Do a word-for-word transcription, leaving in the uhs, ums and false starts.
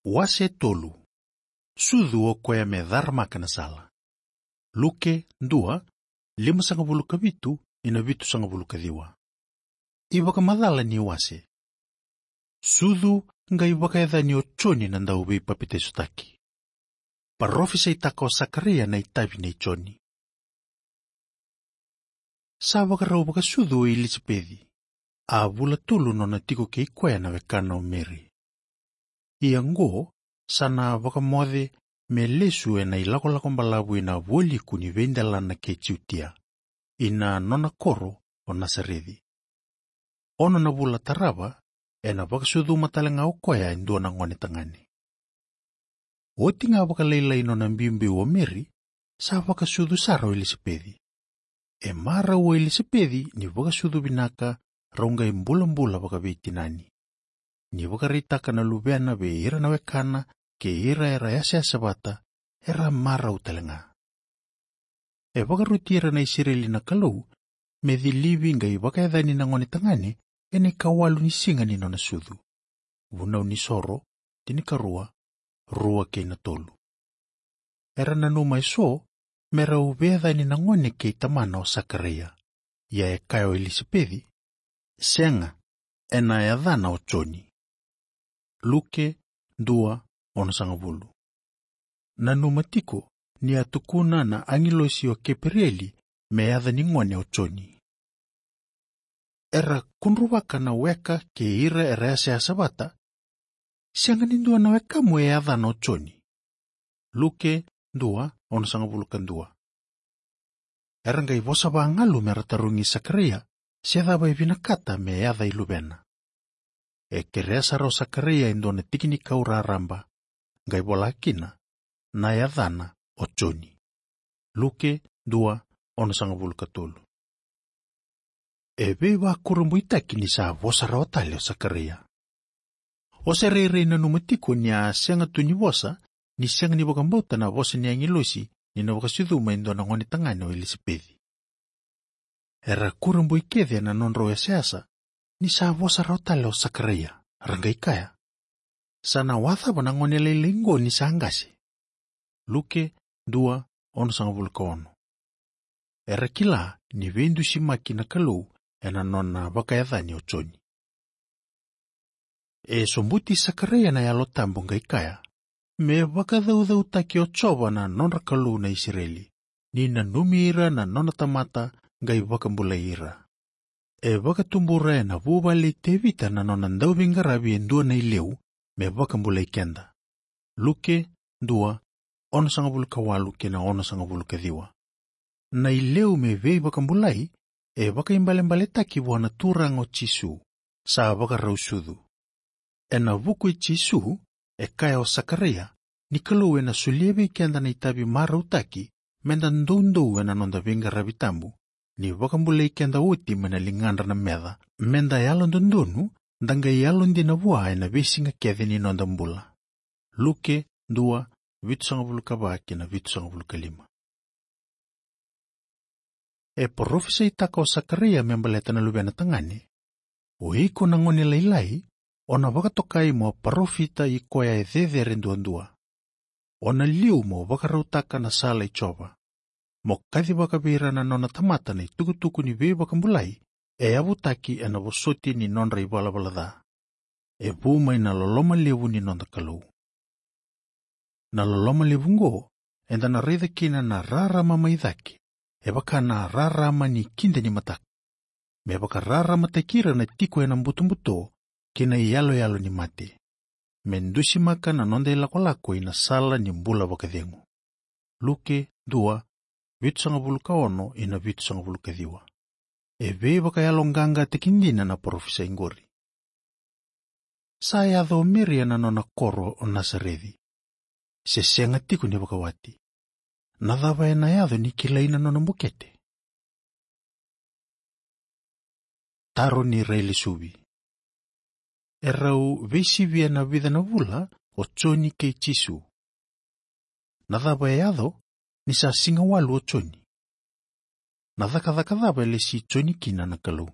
Wase tolu. Sucu o koya me caramaka na sala. Luke dua, limasagavulu ka vitu ina vitusagavulu ka ciwa. iVakamacala ni wase. Sucu qai vakayacani o Joni na dauveipapitaisotaki. Parofisaitaka o Sakaraia na itavi nei Joni. Sa vakarau vakasucu o Ilisapeci, a vula tolu nona tiko kei koya na wekana o Meri. Ia qo, sa na vakamoce me lesu ena ilakolako balavu ina vualiku ni veidelana kei Jutia, ina nona koro o Nasareci. Ono na vula tarava, ena vakasucuma tale ga o koya e dua na gone tagane. Oti ga vakalailai nona biubiu o Meri, sa vakasucu sara o Ilisapeci. E marau o Ilisapeci ni vakasucu vinaka, rau qai bulabula vakaveitinani. Ni vakaraitaka na luvena vei ira na wekana kei ira era yasayasa vata, era marau tale ga. E vakaroti ira na Isireli na Kalou me cilivi qai vakayacani na gone tagane ena ikawalu ni siga ni nona sucu. Vunau ni Soro tinikarua, rua kei na tolu. Era nanuma eso me rau veiyacani na gone kei tamana o Sakaraia. Ia e kaya o Ilisapeci, sega, ena yacana o Joni. Luke dua, onosagavulu. Nanuma tiko ni a tukuna na agilosi o Keperieli me yaca ni gone o Joni. Era kudruvaka na weka kei ira era yasayasa vata, sega ni dua na wekamu e yacana o Joni. Luke dua, onosagavulu ka dua. Era qai vosa vagalu mera tarogi Sakaraia se cava e vinakata me yaca i luvena. E kerea sara o Sakaraia e dua na tikinikau raraba, qai vola kina, na yacana o Joni. Luke dua, onosagavulu ka tolu. E veivakurabuitaki ni sa vosa rawa tale o Sakaraia. O sa rairai nanuma tiko ni a sega tu ni vosa, ni sega ni vakabauta na vosa ni agilosi ni na vakasucuma e dua na gone tagane o Ilisapeci. Era kurabui kece ena nodrau yasayasa ni sa vosa rawa tale o Sakaraia, ra qai kaya, sa na wacava na gone lailai qo ni sa qase? Luke dua, onosagavulu ka ono. Era kila ni veidusimaki na Kalou ena nona vakayacani o Joni. E sobuti Sakaraia na Yalo Tabu qai kaya, me vakacaucautaki o Jiova na nodra Kalou na Isireli, ni nanumi ira na nona tamata qai vakabulai ira. E vakatubura ena vuvale i Tevita na nona dauveiqaravi e dua na ileu me vakabulai keda. Luke dua, onosagavulu ka walu kei na onosagavulu ka ciwa. Na ileu me veivakabulai e vakaibalebaletaki vua na Turaga o Jisu, sa vakarau sucu. Ena vuku i Jisu, e kaya o Sakaraia ni Kalou ena solia vei keda na itavi marautaki, meda doudou ena noda veiqaravi tabu, ni vakabulai keda oti mai na ligadra na meca, meda yalododonu, da qai yalodina vua ena veisiga kece ni noda bula. Luke dua, vitusagavulu ka va kei na vitusagavulu ka lima. E parofisaitaka o Sakaraia me baleta na luvena tagane, o iko na gone lailai, o na vakatokai mo parofita i koya e cecere duadua. O na liu mo vakarautaka na sala i Jiova, mo kacivaka vei ira na nona tamata na itukutuku ni veivakabulai e yavutaki ena vosoti ni nodra ivalavala ca, e vu mai na loloma levu ni noda Kalou. Na loloma levu qo, eda na raica kina na rarama mai cake, e vaka na rarama ni kida ni mataka, me vakararamataki ira na tiko ena butobuto kei na iyaloyalo ni mate, me dusimaka na noda ilakolako ina sala ni bula vakacegu. Luke dua, vitusagavulu ka ono ina vitusagavulu ka ciwa. E veivakayaloqaqataki dina na parofisai qori. Sa yaco o Meri ena nona koro o Nasareci, se sega tiko ni vakawati. Na cava ena yaco ni kilai na nona bukete? Taro ni railesuvi. E rau veisivia na vica na vula o Joni kei Jisu. Na cava e yaco ni sa siga walu o Joni? Na cakacaka cava e lesi Joni kina na Kalou?